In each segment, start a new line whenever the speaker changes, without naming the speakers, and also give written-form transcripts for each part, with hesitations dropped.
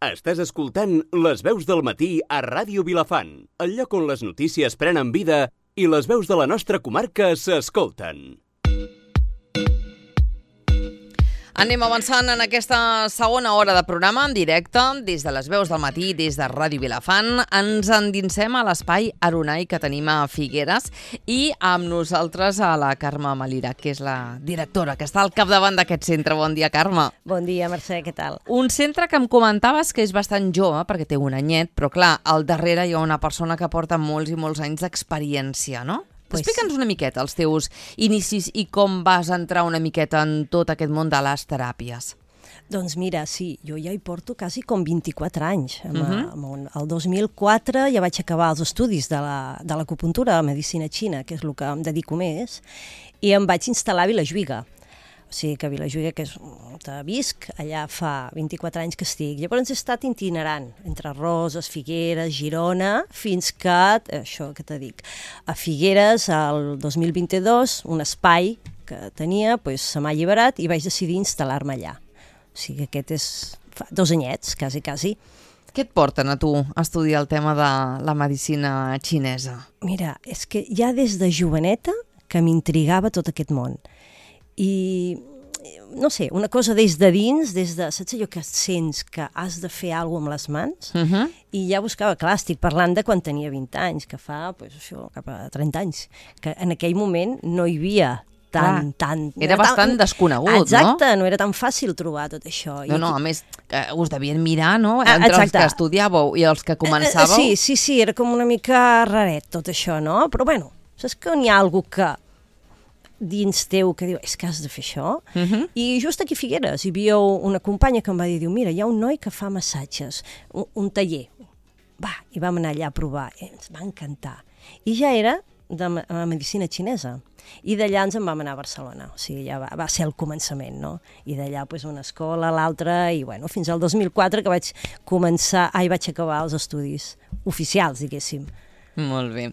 Estàs escoltant Les veus del matí a Ràdio Vilafant, el lloc on les notícies prenen vida i les veus de la nostra comarca s'escolten.
Anem avançant en aquesta segona hora de programa en directe, des de les veus del matí, des de Ràdio Vilafant. Ens endinsem a l'espai Aronai que tenim a Figueres i amb nosaltres a la Carme Malira, que és la directora, que està al capdavant d'aquest centre. Bon dia, Carme.
Bon dia, Mercè, què tal?
Un centre que em comentaves que és bastant jove, perquè té un anyet, però clar, al darrere hi ha una persona que porta molts i molts anys d'experiència, no? Explica'ns una miqueta els teus inicis i com vas entrar una miqueta en tot aquest món de les teràpies.
Doncs mira, sí, jo ja hi porto quasi com 24 anys. El 2004 ja vaig acabar els estudis de l'acupuntura, de medicina xina, que és el que em dedico més, i em vaig instal·lar a Vilajuïga. O sigui que a Vilajuïga, que és on visc, allà fa 24 anys que estic. Llavors he estat itinerant entre Roses, Figueres, Girona, fins que, això que te dic, a Figueres, el 2022, un espai que tenia, se m'ha alliberat i vaig decidir instal·lar-me allà. O sigui que aquest és fa 2 anyets, quasi.
Què et porten a tu a estudiar el tema de la medicina xinesa?
Mira, és que ja des de joveneta que m'intrigava tot aquest món. I, no sé, una cosa des de dins, saps allò que sents que has de fer alguna cosa amb les mans? I ja buscava, clar, estic parlant de quan tenia 20 anys, que fa, això, cap a 30 anys, que en aquell moment no hi havia tant...
Era bastant desconegut, no?
Exacte, no era tan fàcil trobar tot això.
No, a més, us devien mirar, no?, entre els que estudiàveu i els que començàveu.
Sí, era com una mica raret tot això, no? Però bueno, saps que n'hi ha algú que dins teu que diu, és que has de fer això? I just aquí a Figueres hi havia una companya que em va dir, mira, hi ha un noi que fa massatges, un taller. Va, i vam anar allà a provar, ens va encantar. I ja era de la medicina xinesa. I d'allà ens en vam anar a Barcelona, o sigui, ja va ser el començament, no? I d'allà una escola, l'altra, i bueno, fins al 2004 que vaig acabar els estudis oficials, diguéssim.
Molt bé.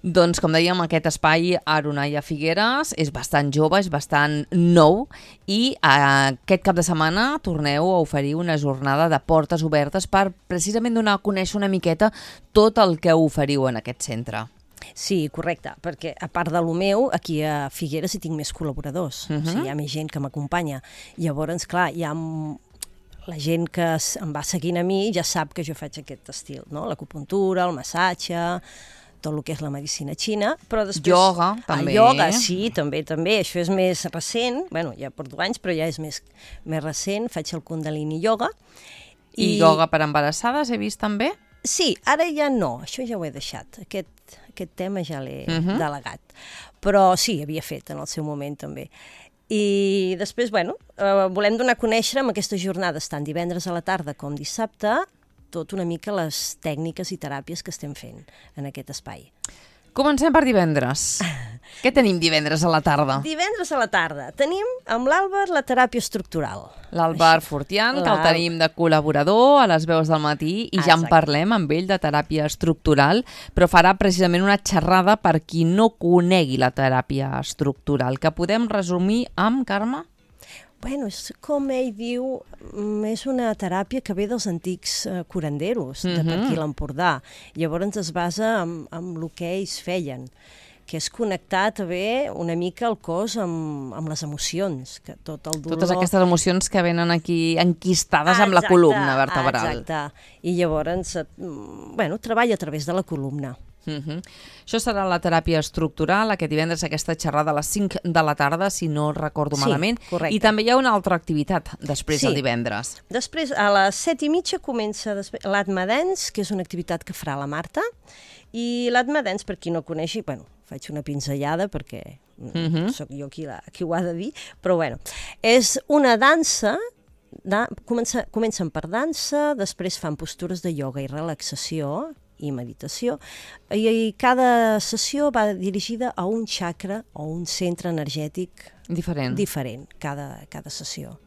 Doncs, com dèiem, aquest espai Aronai a Figueres és bastant jove, és bastant nou i aquest cap de setmana torneu a oferir una jornada de portes obertes per precisament donar a conèixer una miqueta tot el que oferiu en aquest centre.
Sí, correcte, perquè a part de lo meu, aquí a Figueres hi tinc més col·laboradors, o sigui, hi ha més gent que m'acompanya. Llavors, clar, hi ha la gent que em va seguint a mi ja sap que jo faig aquest estil, no? L'acupuntura, el massatge, tot el que és la medicina xina, però després...
Ioga, també.
Ioga, sí, també. Això és més recent, bueno, ja porto anys, però ja és més recent, faig el Kundalini Yoga.
I ioga per embarassades he vist també?
Sí, ara ja no, això ja ho he deixat, aquest tema ja l'he delegat, però sí, havia fet en el seu moment també. I després, bueno, volem donar a conèixer amb aquestes jornades, tant divendres a la tarda com dissabte, tot una mica les tècniques i teràpies que estem fent en aquest espai.
Comencem per divendres. Què tenim divendres a la tarda?
Divendres a la tarda tenim amb l'Àlvar la teràpia estructural.
L'Àlvar Fortián, que el tenim de col·laborador a les veus del matí i ja en parlem amb ell de teràpia estructural, però farà precisament una xerrada per qui no conegui la teràpia estructural, que podem resumir amb, Carme?
Bueno, és com ell diu, és una teràpia que ve dels antics curanderos, de per aquí l'Empordà. Llavors es basa en el que ells feien, que és connectar també una mica el cos amb les emocions, que tot el dolor...
Totes aquestes emocions que venen aquí enquistades amb la columna vertebral.
Exacte, i llavors, bueno, treballa a través de la columna.
Això serà la teràpia estructural, aquest divendres, aquesta xerrada a les 5 de la tarda, si no recordo malament.
Correcte.
I també hi ha una altra activitat després del divendres.
Després, a les 7:30 comença l'Atma Dance, que és una activitat que farà la Marta, i l'Atma Dance, per qui no coneixi, bueno, faig una pinzellada perquè sóc jo qui ho ha de dir, però bueno, és una dansa, comencen per dansa, després fan postures de ioga i relaxació, i meditació, i cada sessió va dirigida a un chakra o un centre energètic diferent cada sessió.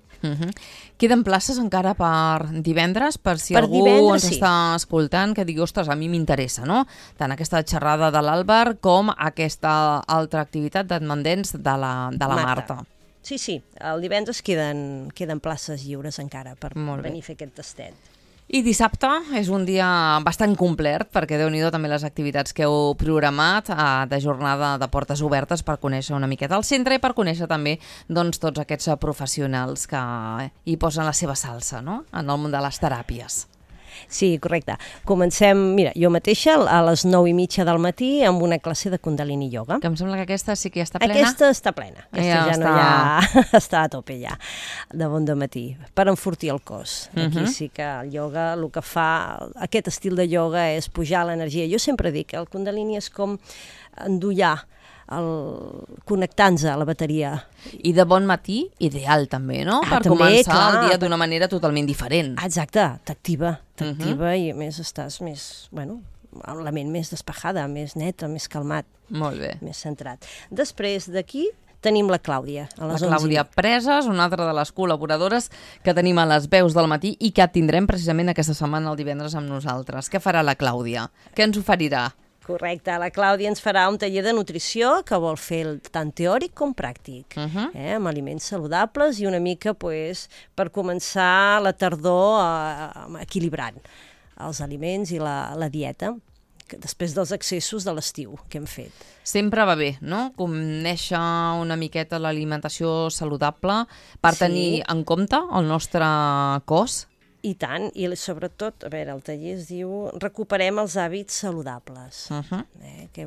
Queden places encara per divendres, per si algú ens està escoltant que digui, ostres, a mi m'interessa, no? Tant aquesta xerrada de l'Àlvar com aquesta altra activitat d'admendents de la Marta.
Sí, el divendres queden places lliures encara per venir a fer aquest tastet.
I dissabte és un dia bastant complet, perquè Déu-n'hi-do també les activitats que heu programat de jornada de portes obertes per conèixer una miqueta el centre i per conèixer també doncs, tots aquests professionals que hi posen la seva salsa, no?, en el món de les teràpies.
Sí, correcte. Comencem, mira, jo mateixa a les 9:30 del matí amb una classe de Kundalini Yoga.
Que em sembla que aquesta sí que ja està plena.
Aquesta està plena. Aquesta ja no hi ha... està a tope ja, de bon dematí, per enfortir el cos. Aquí sí que el yoga, el que fa, aquest estil de yoga és pujar l'energia. Jo sempre dic que el Kundalini és com endollar, connectant-se a la bateria.
I de bon matí, ideal també, no? Per
també,
començar
clar,
el dia d'una manera totalment diferent.
Exacte, t'activa i a més estàs més, bueno, amb la ment més despejada, més neta, més calmat.
Molt bé.
Més centrat. Després d'aquí tenim la Clàudia.
La Clàudia Preses, una altra de les col·laboradores que tenim a les veus del matí i que tindrem precisament aquesta setmana el divendres amb nosaltres. Què farà la Clàudia? Què ens oferirà?
Correcte, la Clàudia ens farà un taller de nutrició que vol fer tant teòric com pràctic, amb aliments saludables i una mica per començar la tardor equilibrant els aliments i la dieta, després dels excessos de l'estiu que hem fet.
Sempre va bé, no?, conèixer una miqueta l'alimentació saludable per tenir en compte el nostre cos.
I tant, i sobretot, a veure, el taller es diu Recuperem els hàbits saludables, que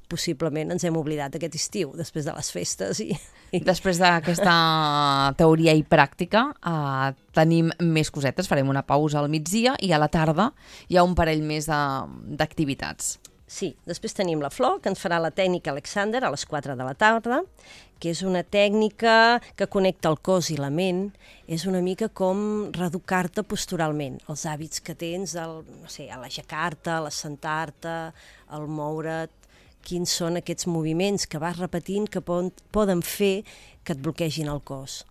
possiblement ens hem oblidat aquest estiu, després de les festes.
Després d'aquesta teoria i pràctica tenim més cosetes, farem una pausa al migdia i a la tarda hi ha un parell més d'activitats.
Sí, després tenim la Flor, que ens farà la tècnica Alexander a les 4 de la tarda, que és una tècnica que connecta el cos i la ment, és una mica com reeducar-te posturalment, els hàbits que tens, no sé, a l'aixecar-te, a l'assentar-te, al moure't, quins són aquests moviments que vas repetint que poden fer que et bloquegin el cos.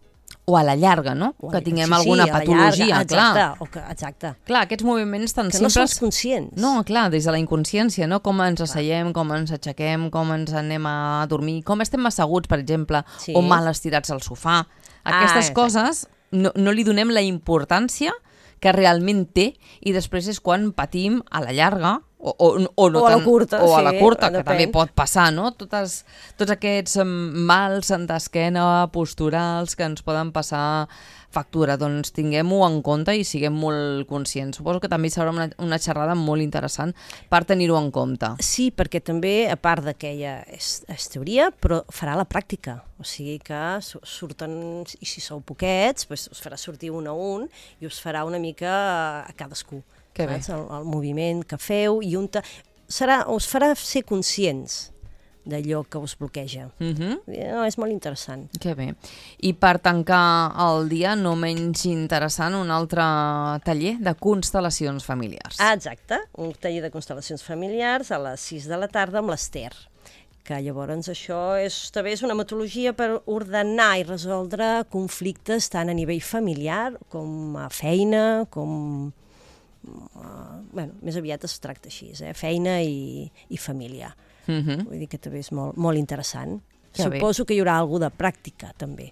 O a la llarga, no? Que tinguem alguna patologia, clar.
Exacte.
Clar, aquests moviments tan simples...
Que no som conscients.
No, clar, des de la inconsciència, no? Com ens asseiem, com ens aixequem, com ens anem a dormir, com estem asseguts, per exemple, o mal estirats al sofà. Aquestes coses no li donem la importància que realment té i després és quan patim a la llarga o no
a la curta,
o a la curta, que
depèn.
també pot passar, no? Tots aquests mals d'esquena posturals que ens poden passar factura, doncs tinguem-ho en compte i siguem molt conscients. Suposo que també serà una xerrada molt interessant per tenir-ho en compte.
Sí, perquè també, a part d'aquella és teoria, però farà la pràctica. O sigui que surten, i si sou poquets, doncs us farà sortir un a un i us farà una mica a cadascú.
Que bé.
El moviment que feu i us farà ser conscients d'allò que us bloqueja. És molt interessant.
Que bé. I per tancar el dia, no menys interessant, un altre taller de constel·lacions familiars.
Exacte, un taller de constel·lacions familiars a les 6 de la tarda amb l'Ester, que llavors això també és una metodologia per ordenar i resoldre conflictes tant a nivell familiar com a feina, com... més aviat es tracta així, feina i família. Vull dir que també és molt, molt interessant. Suposo que hi haurà alguna de pràctica, també.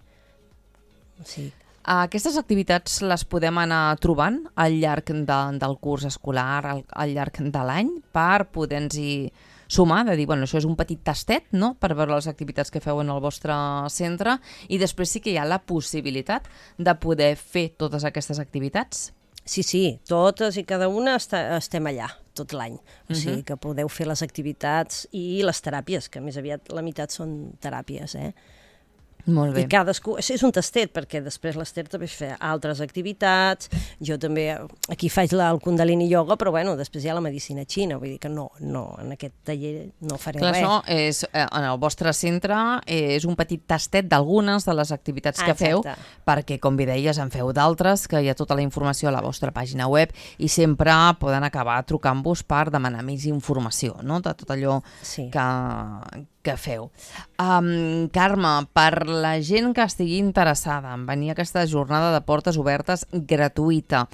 Sí.
Aquestes activitats les podem anar trobant al llarg del curs escolar, al llarg de l'any, per poder-nos-hi sumar, de dir, bueno, això és un petit tastet, no?, per veure les activitats que feu en el vostre centre, i després sí que hi ha la possibilitat de poder fer totes aquestes activitats.
Sí, totes i cada una estem allà tot l'any. O sigui que podeu fer les activitats i les teràpies, que més aviat la meitat són teràpies,
Molt bé.
I cadascú... És un tastet, perquè després l'Ester també fa altres activitats. Jo també aquí faig el Kundalini Yoga, però bueno, després hi ha la medicina xina, vull dir que no, en aquest taller no faré res.
Això és, en el vostre centre, és un petit tastet d'algunes de les activitats que feu, perquè, com bé deies, en feu d'altres, que hi ha tota la informació a la vostra pàgina web i sempre poden acabar trucant-vos per demanar més informació, no?, de tot allò que feu. Carme, per la gent que estigui interessada en venir a aquesta jornada de portes obertes gratuïta,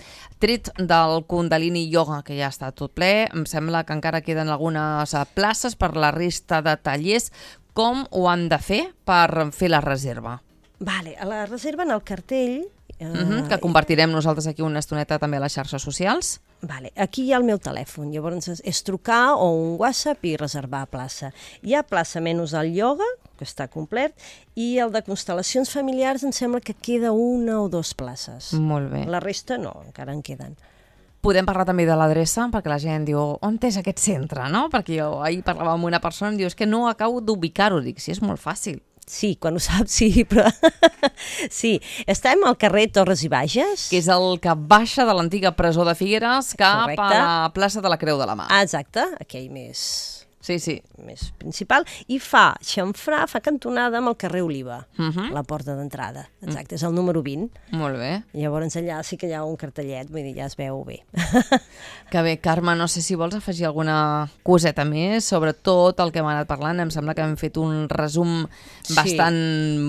tret del Kundalini Yoga, que ja està tot ple, em sembla que encara queden algunes places per la resta de tallers. Com ho han de fer per fer la reserva?
Vale, a la reserva en el cartell
Que compartirem nosaltres aquí una estoneta també a les xarxes socials.
Vale. Aquí hi ha el meu telèfon, llavors és trucar o un WhatsApp i reservar plaça. Hi ha plaça menys al ioga, que està complet, i el de constel·lacions familiars em sembla que queda una o dues places.
Molt bé.
La resta no, encara en queden.
Podem parlar també de l'adreça, perquè la gent diu, on és aquest centre, no? Perquè jo ahir parlava amb una persona i em diu, és que no acabo d'ubicar-ho. Dic, sí, és molt fàcil.
Sí, quan ho saps, sí, però... sí, estem al carrer Torres i Bages.
Que és el que baixa de l'antiga presó de Figueres cap a la plaça de la Creu de la Mà.
Exacte, aquell més principal, i fa xamfrà, fa cantonada amb el carrer Oliva, la porta d'entrada. Exacte, és el número 20.
Molt bé.
Llavors allà sí que hi ha un cartellet, vull dir, ja es veu bé.
Que bé, Carme, no sé si vols afegir alguna coseta més sobre tot el que hem anat parlant. Em sembla que hem fet un resum bastant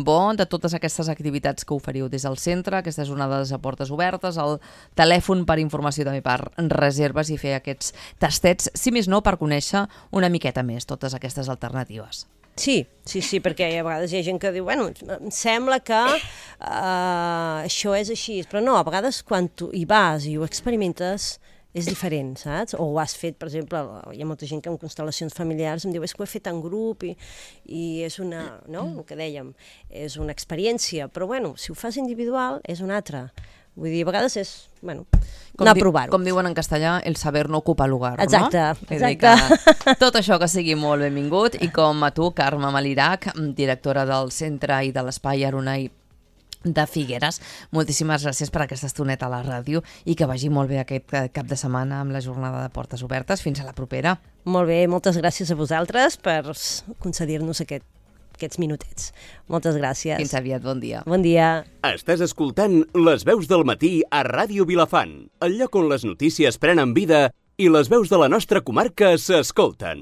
bo de totes aquestes activitats que oferiu des del centre, aquestes onades a portes obertes, el telèfon per informació també per reserves i fer aquests tastets, si més no, per conèixer una miqueta més totes aquestes alternatives.
Sí, perquè a vegades hi ha gent que diu, bueno, em sembla que això és així, però no, a vegades quan tu hi vas i ho experimentes és diferent, saps? O ho has fet, per exemple, hi ha molta gent que en constel·lacions familiars em diu, és que ho he fet en grup i és una, no?, el que dèiem, és una experiència, però bueno, si ho fas individual és una altra. Vull dir, a vegades és, bueno, anar a provar-ho.
Com diuen en castellà, el saber no ocupa lugar,
exacte,
no?
Exacte.
Tot això que sigui molt benvingut, i com a tu, Carme Malirac, directora del Centre i de l'Espai Arunai de Figueres, moltíssimes gràcies per aquesta estoneta a la ràdio i que vagi molt bé aquest cap de setmana amb la jornada de portes obertes. Fins a la propera.
Molt bé, moltes gràcies a vosaltres per concedir-nos aquests minutets. Moltes gràcies.
Fins aviat, bon dia.
Bon dia.
Estàs escoltant Les veus del matí a Ràdio Vilafant, el lloc on les notícies prenen vida i les veus de la nostra comarca s'escolten.